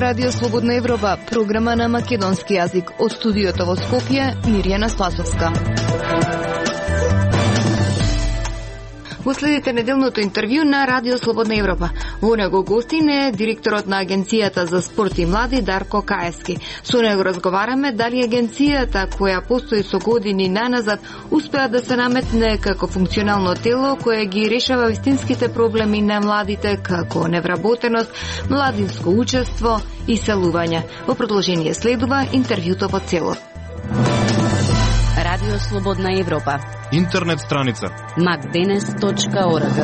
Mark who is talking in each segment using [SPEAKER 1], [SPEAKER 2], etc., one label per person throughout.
[SPEAKER 1] Радио Слободна Европа, програма на македонски јазик. Од студиото во Скопје, Мирјана Спасовска. Го следите неделното интервју на Радио Слободна Европа. Во него гостин е директорот на Агенцијата за спорт и млади Дарко Каевски. Со него разговараме дали агенцијата, која постои со години наназад, успеа да се наметне како функционално тело кое ги решава вистинските проблеми на младите, како невработеност, младинско учество и селување. Во продолжение следува интервјуто во цело.
[SPEAKER 2] Радио Слободна Европа.
[SPEAKER 3] Интернет страница
[SPEAKER 2] macdenes.org.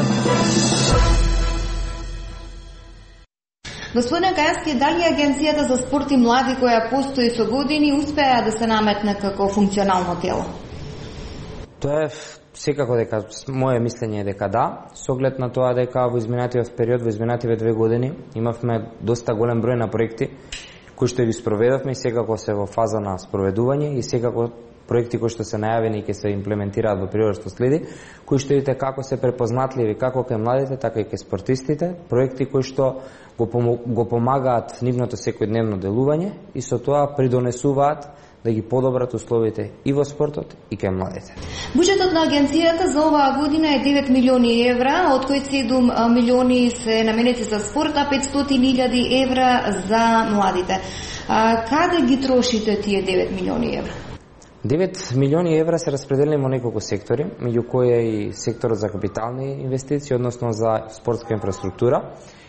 [SPEAKER 1] Господине Каевски, дали Агенцијата за спорт и млади која постои со години успеа да се наметне како функционално тело?
[SPEAKER 4] Тоа е секако дека моје мислење е дека да, со оглед на тоа дека во изминатиот период, во изминативе 2 години имавме доста голем број на проекти кои што ги спроведовме и секако се во фаза на спроведување и секако проекти кои што се најавени и ќе се имплементираат во периодот што следи, кои што видите како се препознатливи како кај младите, така и кај спортистите, проекти кои што го помагаат нивното секојдневно делување и со тоа придонесуваат да ги подобрат условите и во спортот и кај младите.
[SPEAKER 1] Буџетот на агенцијата за оваа година е 9 милиони евра, од кои 7 милиони се наменети за спорт, а 500.000 евра за младите. Каде ги трошите тие 9 милиони евра?
[SPEAKER 4] 9 милиони евра се распределени во неколку сектори, меѓу кои е и секторот за капитални инвестиции, односно за спортска инфраструктура.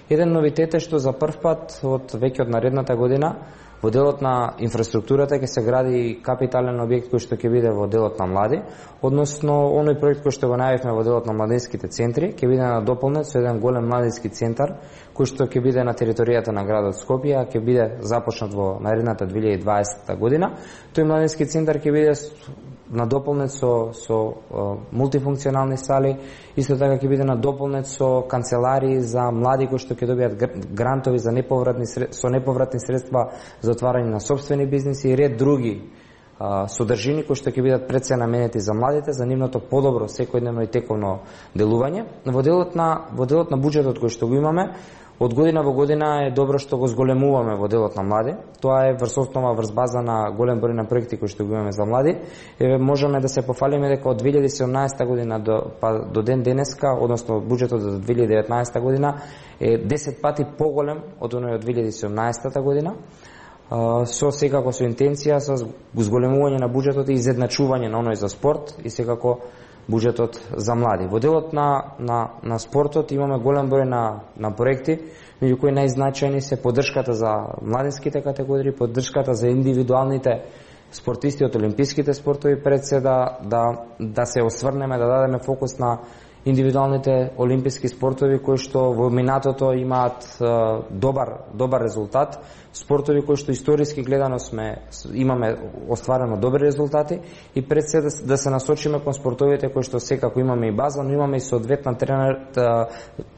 [SPEAKER 4] Еден новитет е што за прв пат од веќе од наредната година во делот на инфраструктурата ќе се гради капитален објект кој што ќе биде во делот на млади, односно оној проект кој што го најавивме во делот на младинските центри ќе биде надополнет со еден голем младински центар кој што ќе биде на територијата на градот Скопје, ќе биде започнат во наредната 2020 година. Тој младински центар ќе биде надополнет со мултифункционални сали, исто така ќе биде надополнет со канцеларии за млади кои што ќе добијат грантови за неповратни средства за отварање на сопствени бизниси и ред други содржини кои што ќе бидат пред се наменети за младите, за нивното подобро секојдневно и тековно делување. Во делот на буџетот кој што го имаме, од година во година е добро што го зголемуваме во делот на млади. Тоа е врз основа, врз база на голем број на проекти кои што го имаме за млади. Можеме да се пофалиме дека од 2017 година до ден денеска, односно буџетот за 2019 година е 10 пати поголем од оној од 2017 година. Со секако со интенција, со зголемување на буџетот и изедначување на оној за спорт и секако буџетот за млади. Во делот на спортот имаме голем број на проекти, меѓу кои најзначајни се поддршката за младинските категории, поддршката за индивидуалните спортисти од олимписките спортови, пред се да се осврнеме, да дадеме фокус на индивидуалните олимписки спортови кои што во минатото имаат добар резултат, спортови кои што историски гледано имаме остварено добри резултати и пред се да се насочиме кон спортовите кои што секако имаме и база, но имаме и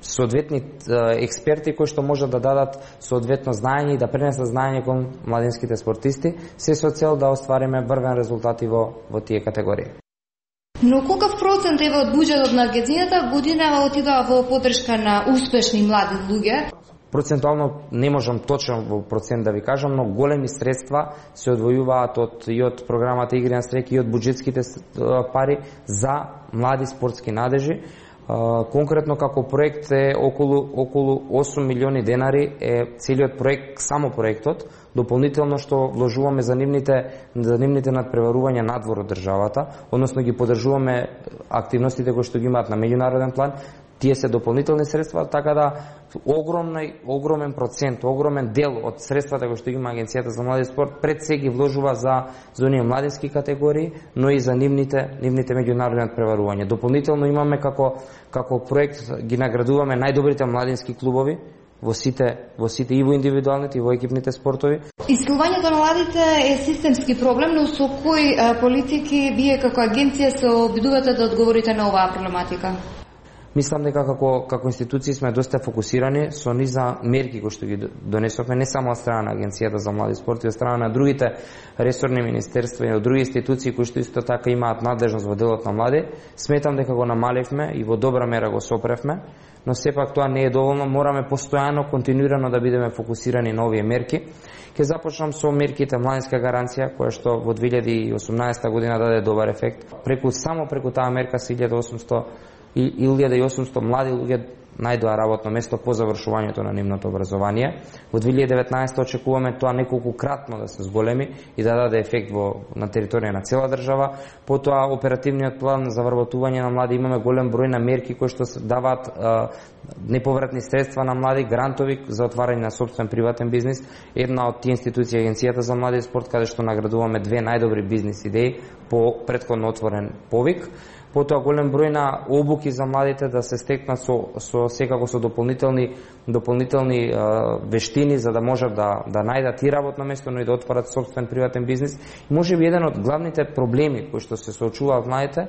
[SPEAKER 4] соодветни експерти кои што можат да дадат соодветно знаење и да пренесат знаење кон младинските спортисти, се со цел да оствариме брвен резултати во тие категории.
[SPEAKER 1] Но колкав процент е од буџетот на агенцијата годинава отидува во поддршка на успешни млади луѓе?
[SPEAKER 4] Процентуално не можам точно во процент да ви кажам, но големи средства се одвојуваат и од програмата Игри на среќа и од буџетските пари за млади спортски надежи. Конкретно како проект е околу 8 милиони денари е целиот проект, само проектот, дополнително што вложуваме за нивните надпреварувања надвор од државата, односно ги поддржуваме активностите кои што ги имаат на меѓународен план. Тие се дополнителни средства, така да огромен процент, огромен дел од средствата кои што ги има Агенцијата за млади спорт пред се ги вложува за оние младински категории, но и за нивните меѓународни надпреварувања. Дополнително имаме како проект ги наградуваме најдобрите младински клубови во сите и во индивидуалните и во екипните спортови.
[SPEAKER 1] Исцелувањето на младите е системски проблем, но со кои политики вие како агенција се обидувате да одговорите на оваа проблематика?
[SPEAKER 4] Мислам дека како институции сме доста фокусирани со низа мерки кои што ги донесовме не само од страна на Агенцијата за млади спорт, и од страна на другите ресорни министерства и од други институции кои што исто така имаат надлежност во делот на млади. Сметам дека го намаливме и во добра мера го сопревме, но сепак тоа не е доволно, мораме постојано, континуирано да бидеме фокусирани на овие мерки. Ќе започнам со мерките младинска гаранција, која што во 2018 година даде добар ефект. Само преку таа мерка се 1800 млади луѓе најдоа работно место по завршувањето на нивното образование. Во 2019 очекуваме тоа неколкукратно да се зголеми и да даде ефект на територија на цела држава. Потоа оперативниот план за вработување на млади, имаме голем број на мерки кои што даваат неповратни средства на млади, грантови за отварање на сопствен приватен бизнис. Една од тие институции Агенцијата за млади спорт, каде што наградуваме 2 најдобри бизнис идеи по претходно отворен повик. Потоа голем број на обуки за младите да се стекнат секако со дополнителни вештини за да можат да најдат и работно место, но и да отворат сопствен приватен бизнис. И можеби еден од главните проблеми кои што се соочуваат младите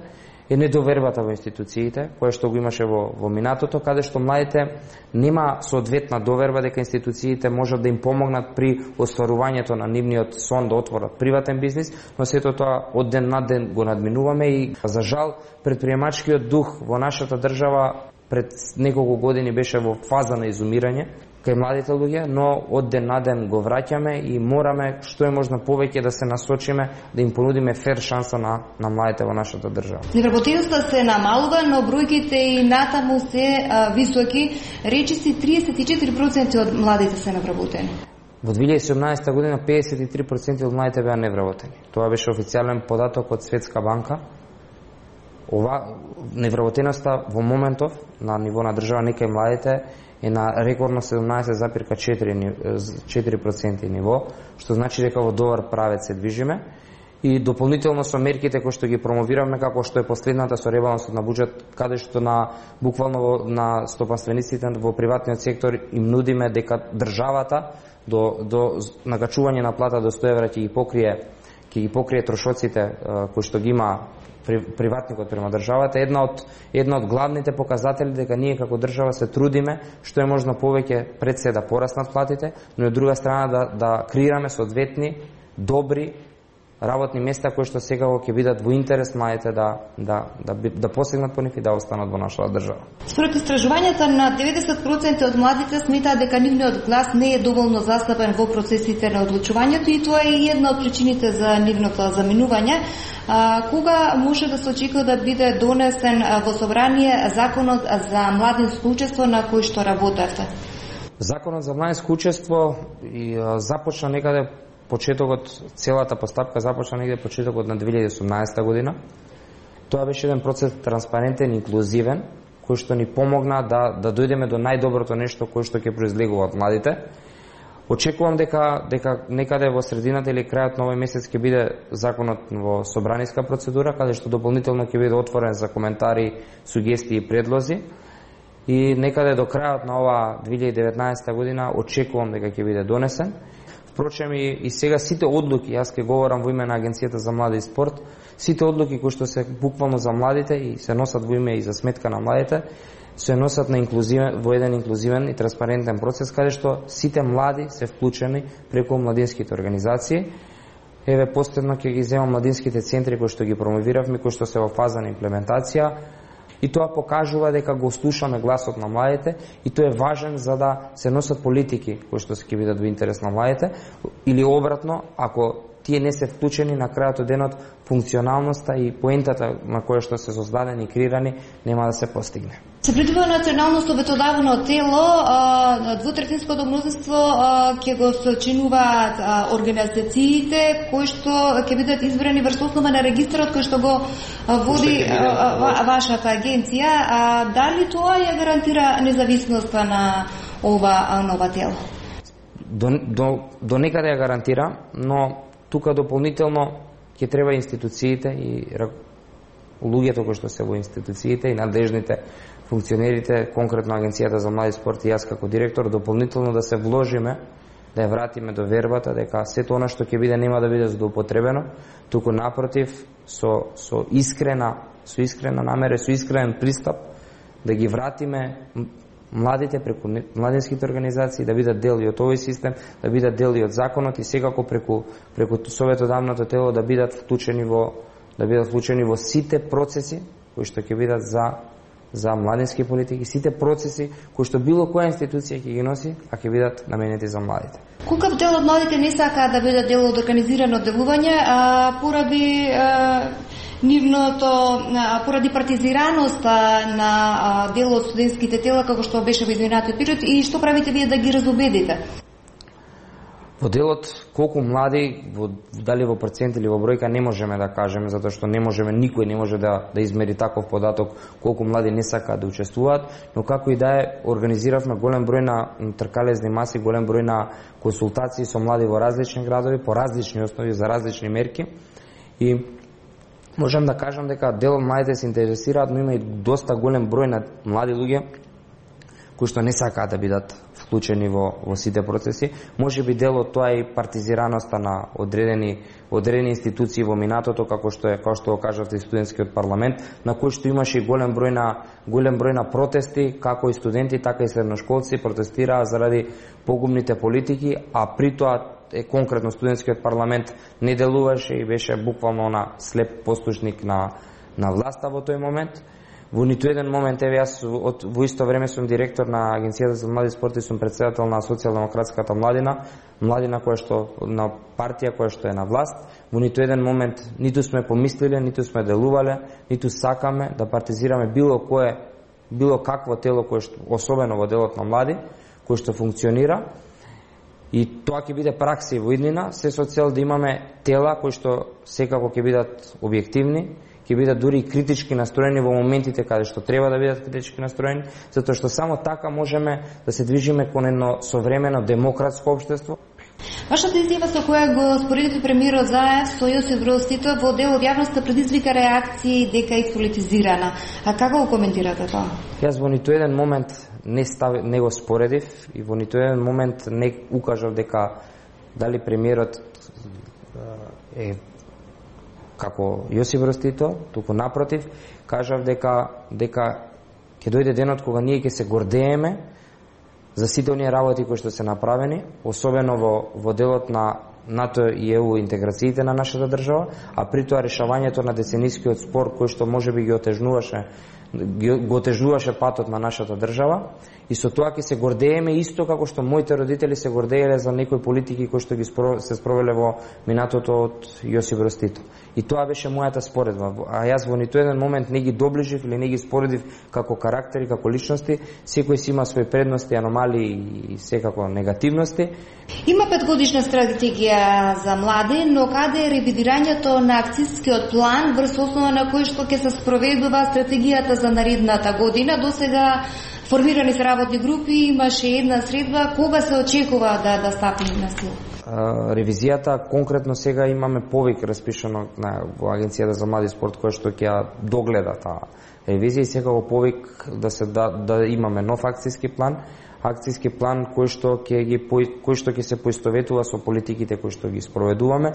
[SPEAKER 4] е недовербата во институциите, која што го имаше во минатото, каде што младите нема соодветна доверба дека институциите можат да им помогнат при остварувањето на нивниот сон да отворат приватен бизнис, но сето тоа од ден на ден го надминуваме и за жал предприемачкиот дух во нашата држава пред неколку години беше во фаза на изумирање кај младите луѓе, но од ден на ден го враќаме и мораме што е можно повеќе да се насочиме, да им понудиме фер шанса на младите во нашата држава.
[SPEAKER 1] Невработеноста се намалува, но бројките и натаму се високи. Речиси 34% од младите се невработени.
[SPEAKER 4] Во 2017 година 53% од младите беа невработени. Тоа беше официјален податок од Светска банка. Невработеноста во моментов на ниво на држава некај младите е на рекордно 17,4% ниво, што значи дека во добар правец се движиме. И дополнително со мерките кои што ги промовираме, како што е последната со ребалансот на буџет, каде што буквално на стопанствениците во приватниот сектор им нудиме дека државата до накачување на плата до 100 евра ќе ги покрие трошоците кои што ги има приватникот према државата. Една од главните показатели дека ние како држава се трудиме што е можно повеќе пред се да пораснат платите, но од друга страна да креираме соодветни добри работни места кои што сега ќе бидат во интерес младите да посегнат по нив и да останат во нашата држава.
[SPEAKER 1] Според истражувањата на 90% од младите сметаат дека нивниот глас не е доволно застапен во процесите на одлучувањето и тоа е една од причините за нивното заминување. Кога може да се очекува да биде донесен во собрание законот за младинско учество на кој што работевте?
[SPEAKER 4] Законот за младинско учество започна некаде почетокот, целата постапка започна негде почетокот на 2018 година. Тоа беше еден процес транспарентен, инклузивен, кој што ни помогна да дојдеме до најдоброто нешто кој што ќе произлегува од младите. Очекувам дека некаде во средината или крајот на овој месец ќе биде законот во собраниска процедура, каде што дополнително ќе биде отворен за коментари, сугестии и предлози. И некаде до крајот на ова 2019 година очекувам дека ќе биде донесен. Впрочем и сега сите одлуки, јас ќе говорам во име на Агенцијата за млади и спорт, сите одлуки кои што се буквално за младите и се носат во име и за сметка на младите, се носат во еден инклузивен и транспарентен процес, каде што сите млади се вклучени преку младинските организации. Еве последно ќе ги земам младинските центри кои што ги промовиравме, кои што се во фаза на имплементација. И тоа покажува дека го слушаме гласот на младите и тоа е важен за да се носат политики кои што ќе бидат во интерес на младите, или обратно, ако тие не се вклучени на крајот од денот, функционалноста и поентата на која што се создадени и креирани нема да се постигне.
[SPEAKER 1] Се предвидува национално советодавно тело, двутретинското мнозинство ќе го сочинуваат организациите кои што ќе бидат избрани врз основа на регистарот кој што го води вашата агенција. Дали тоа ја гарантира независноста на ова нова тело?
[SPEAKER 4] До некаде ја гарантира, но тука дополнително ќе треба институциите и луѓето кои што се во институциите и надлежните функционерите, конкретно Агенцијата за млади спорт и јас како директор, дополнително да се вложиме, да ја вратиме довербата дека сето она што ќе биде нема да биде злоупотребено, туку напротив со искрена намера, со искрен пристап да ги вратиме младите преку младинските организации, да бидат дел и од овој систем, да бидат дел и од законот и секако преку советодавното тело да бидат вклучени во сите процеси кои што ќе бидат за младински политики, сите процеси кои што било која институција ќе ги носи, а ќе бидат наменети за младите.
[SPEAKER 1] Колкав дел од младите не сакаат да бидат дел од организирано делување, поради поради партизираноста на дел од студентските тела како што беше во изминатиот период, и што правите вие да ги разубедите?
[SPEAKER 4] Во делот колку млади, дали во процент или во бројка не можеме да кажеме, затоа што никој не може да измери таков податок колку млади не сакаат да учествуваат, но како и да е, организиравме голем број на тркалезни маси, голем број на консултации со млади во различни градови, по различни основи, за различни мерки, и можам да кажам дека дел од младите се интересираат, но има и доста голем број на млади луѓе кои што не сакаат да бидат вклучени во сите процеси. Може би дел од тоа е и партизираноста на одредени институции во минатото, како што кажавте, и студентскиот парламент, на кој што имаше и голем број на протести, како и студенти, така и средношколци протестираа заради погубните политики, а при тоа конкретно студентскиот парламент не делуваше и беше буквално на слеп послушник на власта во тој момент. Во ниту еден момент, еве јас во исто време сум директор на Агенцијата за млади спорт и сум претседател на Социјалдемократската младина која што на партија која што е на власт. Во ниту еден момент ниту сме помислиле, ниту сме делувале, ниту сакаме да партизираме било какво тело кое што, особено во делот на млади, кој што функционира. И тоа ќе биде пракса и во иднина, се со цел да имаме тела кои што секако ќе бидат објективни, ќе бидат дури и критички настроени во моментите каде што треба да бидат критички настроени, затоа што само така можеме да се движиме кон едно современо демократско општество.
[SPEAKER 1] Вашата изјава со која го споредите премиерот Заев со Јосип Броз Тито во дел од јавноста предизвика реакции дека е политизирана. А како го коментирате тоа?
[SPEAKER 4] Јас во ниту еден момент не го споредив и во ниту еден момент не укажав дека дали премиерот е како Јосип Броз Тито, туку напротив, кажав дека ќе дојде денот кога ние ќе се гордееме за сите оние работи кои што се направени, особено во делот на НАТО и ЕУ интеграциите на нашата држава, а при тоа решавањето на деценискиот спор кој што можеби го отежнуваше патот на нашата држава, и со тоа ќе се гордееме исто како што моите родители се гордееле за некои политики кои што ги се спровеле во минатото од Јосип Броз Тито. И тоа беше мојата споредба. А јас во ниту еден момент не ги доближив или не ги споредив како карактери, како личности. Секој си има свои предности, аномалии и секако негативности.
[SPEAKER 1] Има 5-годишна стратегија за млади, но каде е ревидирањето на акцискиот план врз основа на кој што ќе се спроведува стратегијата за наредната година? Досега формирани се работни групи, имаше една средба, кога се очекува да стапи на сила?
[SPEAKER 4] Ревизијата, конкретно сега имаме повик распишано во Агенцијата за млади спорт која што ќе догледа таа ревизија, и секако повик да имаме нов акцијски план кој што ќе се поистоветува со политиките кои што ги спроведуваме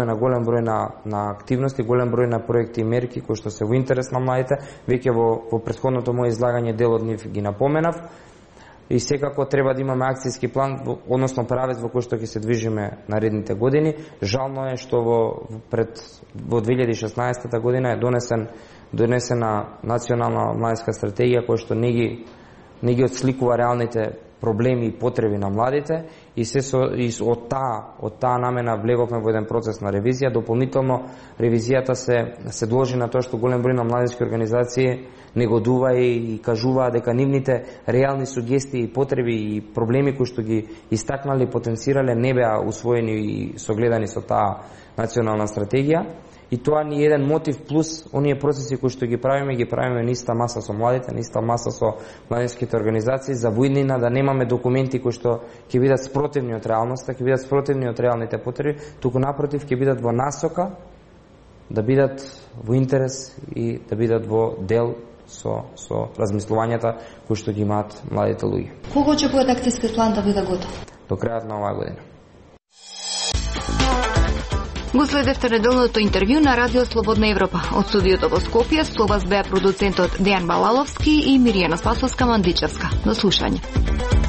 [SPEAKER 4] на голем број на активности, голем број на проекти и мерки кои што се во интерес на младите. Веќе во претходното мое излагање дел од нив ги напоменав. И секако треба да имаме акцијски план, односно правец во кој што ќе се движиме наредните години. Жално е што во 2016 година е донесена национална младинска стратегија која што не ги отсликува реалните проблеми и потреби на младите, и од таа намена влеговме во еден процес на ревизија. Дополнително ревизијата се должи на тоа што голем број на младински организации негодува и кажуваа дека нивните реални сугестии и потреби и проблеми кои што ги истакнале и потенцирале не беа усвоени и согледани со таа национална стратегија. И тоа ни е еден мотив, плюс оние процеси кои што ги правиме на иста маса со младите, на иста маса со младинските организации, за војнина да немаме документи кои што ќе бидат спротивни од реалноста, ќе бидат спротивни од реалните потреби, туку напротив ќе бидат во насока да бидат во интерес и да бидат во дел со размислувањата кои што ги имаат младите луѓе.
[SPEAKER 1] Кога очекувате акцијскиот план да биде готов?
[SPEAKER 4] До крајот на оваа година.
[SPEAKER 1] Го следевте неделното интервју на Радио Слободна Европа. Од студиото во Скопје со вас беа продуцентот Дејан Балаловски и Миријана Спасовска-Мандичевска. До слушање.